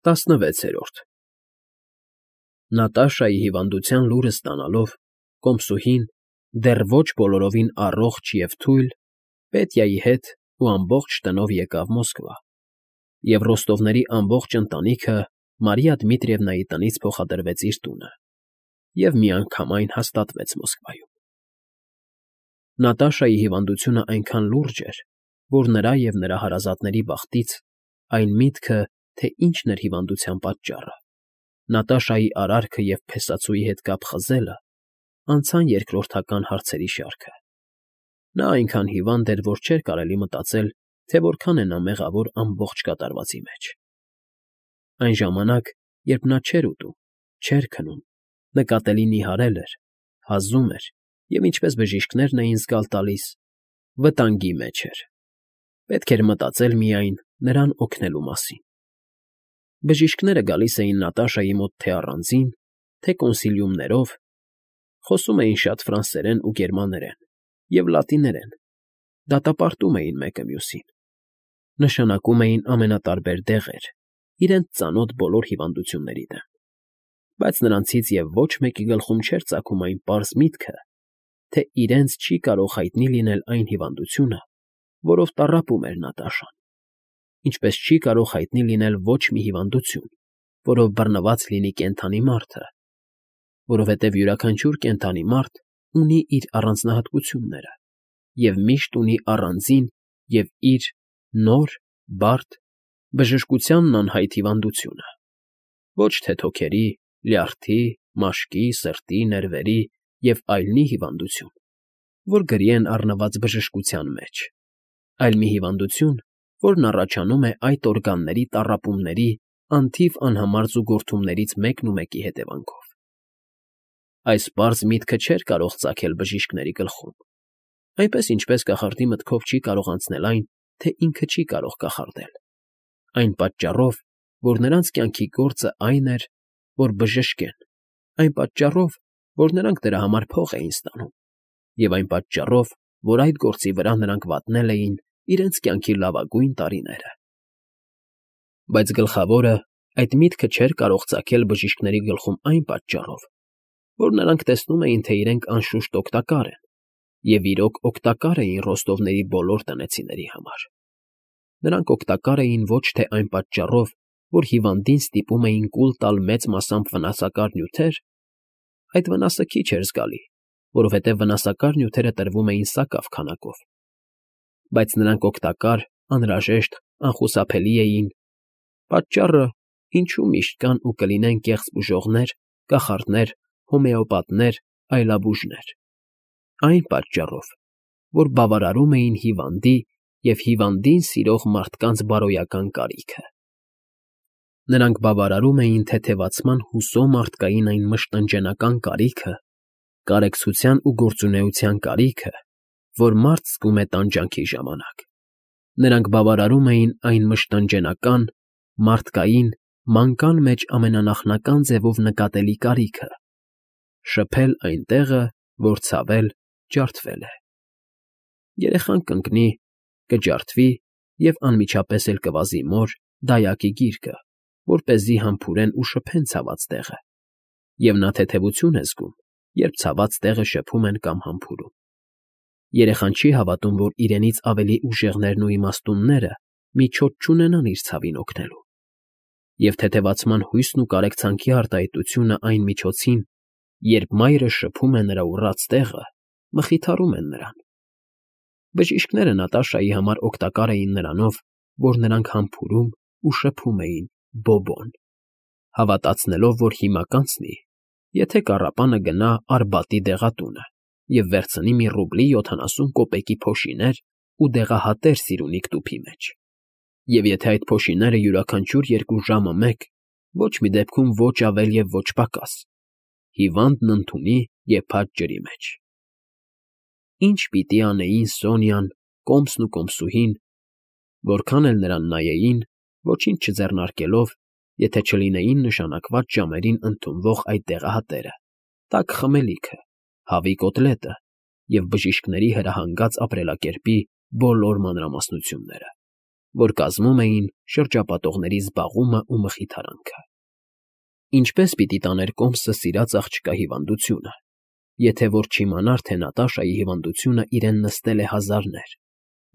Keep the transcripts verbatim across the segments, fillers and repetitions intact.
ՏԱՍՆՎԵՑԵՐՈՐԴ Նատաշայի հիվանդության լուրն ստանալով, կոմսուհին, դեռ ոչ բոլորովին առողջ և թույլ, Պետյայի հետ ու ամբողջ տնով եկավ Մոսկվա, և Ռոստովների ամբողջ ընտանիքը Մարիա Դմիտրիևնայի տնից փոխադրվեց իր տունը և միանգամայն հաստատվեց Մոսկվայում։ Նատաշայի հիվանդությունն այնքան լուրջ էր, որ նրա և նրա հարազատների բախտից այն միտքը, թե ինչն էր հիվանդության պատճառը, Նատաշայի արարքը և փեսացուի հետ կապ խզելը, անցան երկրորդական հարցերի շարքը։ Նա այնքան հիվանդ էր, որ չէր կարելի մտածել, թե որքան է նա մեղավոր ամբողջ կատարվածի մեջ։ Այն ժամանակ, երբ նա չէր ուտում, չէր քնում, նկատելի նիհարել էր, հազում էր և, ինչպես բժիշկներն էին զգալ տալիս, վտանգի մեջ էր, պետք էր մտածել միայն նրան օգնելու մասին։ Բժիշկները գալիս էին Նատաշայի մոտ թե առանձին, թե կոնսիլիումներով, խոսում էին շատ ֆրանսերեն ու գերմաներեն և լատիներեն, դատապարտում էին մեկը մյուսին, նշանակում էին ամենատարբեր դեղեր, իրենց ծանոթ բոլոր հիվանդությունների դեմ, բայց նրանցից և ոչ մեկի գլխում չէր ծագում այն պարզ միտքը, թե իրենց չի կարող հայտնի լինել այն հիվանդությունը, որով տառապում էր Նատաշան, ինչպես չի կարող հայտնի լինել ոչ մի հիվանդություն, որով բռնված լինի կենդանի մարդը, որովհետև յուրաքանչյուր կենդանի մարդ ունի իր առանձնահատկությունները և միշտ ունի առանձին և իր նոր, բարդ, բժշկությանն անհայտ հիվանդությունը, ոչ թե թոքերի, լյարդի, մաշկի, սրտի, ներվերի և այլնի հիվանդություն, որ գրի են առնված բժշկության մեջ, այլ մի հիվանդություն, որն առաջանում է այդ օրգանների տառապումների անթիվ անհամար զուգորդումներից մեկնումեկի հետևանքով։ Այս պարզ միտքը չէր կարող ծագել բժիշկների գլխում, այնպես ինչպես կախարդի մտքով չի կարող անցնել այն, թե ինքը չի կարող կախարդել, այն պատճառով, որ նրանց կյանքի գործն այն էր, որ բժշկեն, այն պատճառով, որ նրանք դրա համար փող էին ստանում, և այն պատճառով, որ այդ գործի վրա նրանք վատնել էին իրենց կյանքի լավագույն տարիները։ Բայց գլխավորը այդ միտքը չէր կարող ծագել բժիշկների գլխում այն պատճառով, որ նրանք տեսնում էին, թե իրենք անշուշտ օգտակար են, և իրոք օգտակար էին Ռոստովների բոլոր տնեցիների համար։ Նրանք օգտակար էին ոչ թե այն պատճառով, որ հիվանդին ստիպում էին կուլ տալ մեծ մասամբ վնասակար նյութեր, այդ վնասը քիչ էր զգալի, որովհետև վնասակար նյութերը տրվում էին սակավ քանակով, բայց նրանք օգտակար, անհրաժեշտ, անխուսափելի էին, պատճառը, ինչու միշտ կան ու կլինեն կեղծ բուժողներ, կախարդներ, հոմեոպաթներ, այլաբուժներ, այն պատճառով, որ բավարարում էին հիվանդի և հիվանդին սիրող մարդկանց բարոյական կարիքը։ Նրանք բավարարում էին թեթևացման հուսո մարդկային այն մշտնջենական կարիքը, կարեկցության ու գործունեության կարիքը, որ մարդ զգում է տանջանքի ժամանակ։ Նրանք բավարարում էին այն մշտնջենական, մարդկային, մանկան մեջ ամենանախնական ձևով նկատելի կարիքը՝ շփել այն տեղը, որ ցավել, ջարդվել է։ Երեխան կընկնի, կջարդվի և անմիջապես էլ կվազի մոր, դայակի գիրկը, որպեսզի համբուրեն ու շփեն ցաված տեղը, և նա թեթևություն է զգում, երբ ցաված տեղը շփում են կամ համբուրում։ Երեխան չի հավատում, որ իրենից ավելի ուժեղներն ու իմաստունները միջոց չունենան իր ցավին օգնելու, և թեթևացման հույսն ու կարեկցանքի արտահայտությունն այն միջոցին, երբ մայրը շփում է նրա ուռած տեղը, մխիթարում են նրան։ Բժիշկները Նատաշայի համար օգտակար էին նրանով, որ նրանք համբուրում ու շփում էին Բոբոն, հավատացնելով, որ հիմա կանցնի, եթե կառապանը գնա Արբատի դեղատունը և վերցնի մի ռուբլի յոթանասուն կոպեկի փոշիներ ու դեղահատեր սիրունիկ տուփի մեջ, և եթե այդ փոշիները յուրաքանչյուր երկու ժամը մեկ, ոչ մի դեպքում ոչ ավել և ոչ պակաս, հիվանդն ընդունի եփած ջրի մեջ։ Ի՞նչ պիտի անեին Սոնյան, Կոմսն ու կոմսուհին, որքան էլ նրան նայեին, ոչինչ չձեռնարկելով, եթե չլինեին նշանակված ժամերին ընդունվող այդ դեղահատերը, տաք խմելիքը, հավի կոտլետը և բժիշկների հրահանգած ապրելակերպի բոլոր մանրամասնությունները։ որ կազմում էին շրջապատողների զբաղումն ու մխիթարանքը։ Ինչպե՞ս պիտի տաներ Կոմսը սիրած աղջկա հիվանդությունը, եթե որ չիմանար, թե Նատաշայի հիվանդությունը իրեն նստել է հազարներ,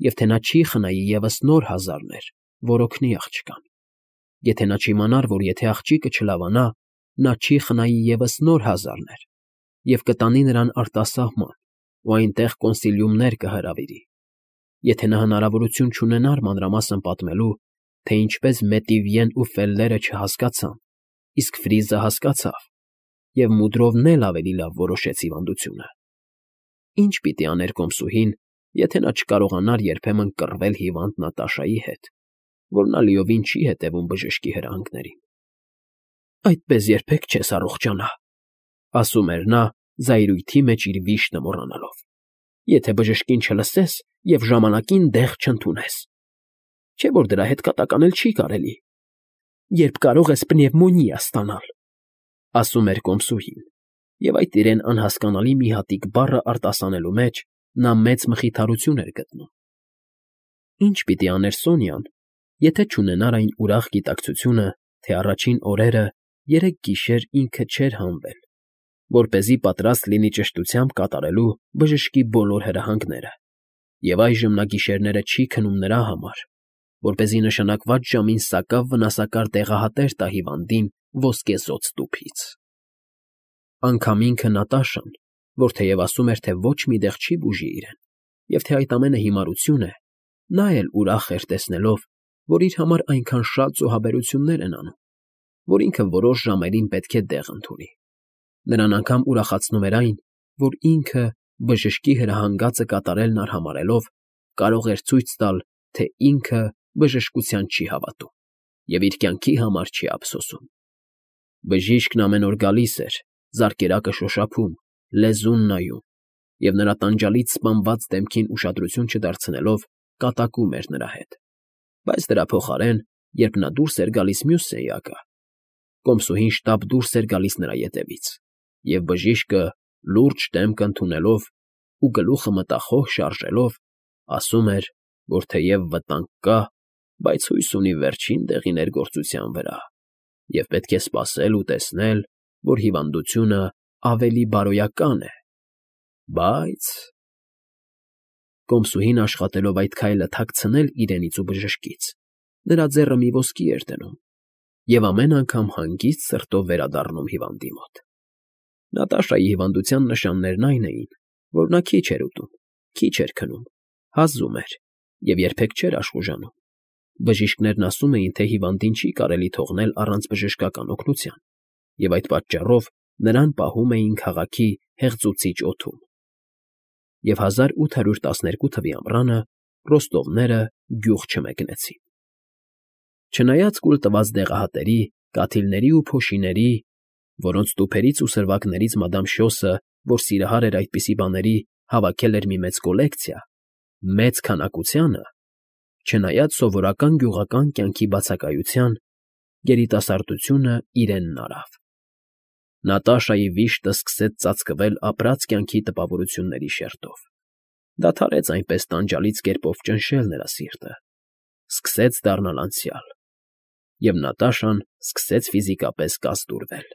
և թե նա չի խնայի ևս նոր հազարներ, որ օգնի աղջկան, եթե նա չիմանար, որ եթե աղջիկը չլավանա, նա չի խնայի ևս նոր հազարներ, և կտանի նրան արտասահման ու այնտեղ կոնսիլիումներ կհրավիրի, եթե նա հնարավորություն չունենար մանրամասն պատմելու, թե ինչպես Մետիվյեն ու Ֆելլերը չհասկացան, իսկ Ֆրիզը հասկացավ, և մուդրովն էլ ավելի լավ որոշեց հիվանդությունը, ի՞նչ պիտի աներ կոմսուհին, եթե նա չկարողանար երբեմն կռվել հիվանդ Նատաշայի հետ, որ նա լիովին չի հետևում բժշկի հրահանգներին։ «Այդպես երբեք չես առողջանա», ասում էր նա, զայրույթի մեջ իր վիշտը մոռանալով, «եթե բժշկին չլսես և ժամանակին դեղ չընդունես, չէ՞ որ դրա հետ կատականել չի կարելի, երբ կարող ես պնևմոնիա ստանալ», ասում էր կոմսուհին, և այդ իրեն անհասկանալի մի հատիկ բառը արտասանելու մեջ նա մեծ մխիթարություն էր գտնում։ Ի՞նչ պիտի աներ Սոնյան, եթե չունենար այն ուրախ գիտակցությունը, թե առաջին օրերը երեք գիշեր ինքը չէր հանվել, որպեսզի պատրաստ լինի ճշտությամբ կատարելու բժշկի բոլոր հրահանգները, և այժմ նա գիշերները չի քնում նրա համար, որպեսզի նշանակված ժամին սակավ վնասակար տեղահատեր տա հիվանդին ոսկեզօծ տուփից։ Անգամ ինքը Նատաշան, որ թեև ասում էր, թե ոչ մի տեղ չի բուժի իրեն, և թե այդ ամենը հիմարություն է, նա էլ ուրախ էր տեսնելով, որ իր համար այնքան շատ զոհաբերություններ են անում, որ ինքը որոշ ժամերին պետք է դեղ ընդունի։ Նրան անգամ ուրախացնում էր այն, որ ինքը, բժշկի հրահանգածը կատարելն արհամարհելով, կարող էր ցույց տալ, թե ինքը բժշկության չի հավատում և իր կյանքի համար չի ափսոսում։ Բժիշկն ամեն օր գալիս էր, զարկերակը շոշափում, լեզուն նայում, և նրա տանջալից սպանված դեմքին ուշադրություն չդարձնելով կատակում էր նրա հետ, բայց դրա փոխարեն, երբ նա դուրս էր գալիս մյուս սենյակը, կոմսուհին շտապ դուրս էր գալիս նրա ետևից, և բժիշկը, լուրջ դեմք ընդունելով ու գլուխը մտախոհ շարժելով, ասում էր, որ թեև վտանգ կա, բայց հույս ունի վերջին դեղի ներգործության վրա, և պետք է սպասել ու տեսնել, որ հիվանդությունը ավելի բարոյական է, բայց… Կոմսուհին աշխատելով այդ քայլը թաքցնել իրենից ու բժշկից, նրա ձեռը մի ոսկի էր դնում և ամեն անգամ հանգիստ սրտով վերադառնում հիվանդի մոտ։ Նատաշայի հիվանդության նշաններն այն էին, որ նա քիչ էր ուտում, քիչ էր քնում, հազում էր և երբեք չէր աշխուժանում։ Բժիշկներն ասում էին, թե հիվանդին չի կարելի թողնել առանց բժշկական օգնության, և այդ պատճառով նրան պահում էին քաղաքի հեղձուցիչ օդում։ Եվ հազար ութ հարյուր տասներկու թվականի ամռանը ռոստովները գյուղ չմեկնեցին։ Չնայած կուլ տված դեղահատերի, կաթիլների ու փոշիների, որոնց տուփերից ու սրվակներից մադամ Շյոսը, որ սիրահար էր այդպիսի բաների, հավաքել էր մի մեծ կոլեկցիա, մեծ քանակությանը, չնայած սովորական գյուղական կյանքի բացակայության, երիտասարդությունը իրենն արավ։ Նատաշայի վիշտը սկսեց ծածկվել ապրած կյանքի տպավորությունների շերտով, դադարեց այնպես տանջալից կերպով ճնշել նրա սիրտը, սկսեց դառնալ անցյալ, և Նատաշան սկսեց ֆիզիկապես կազդուրվել։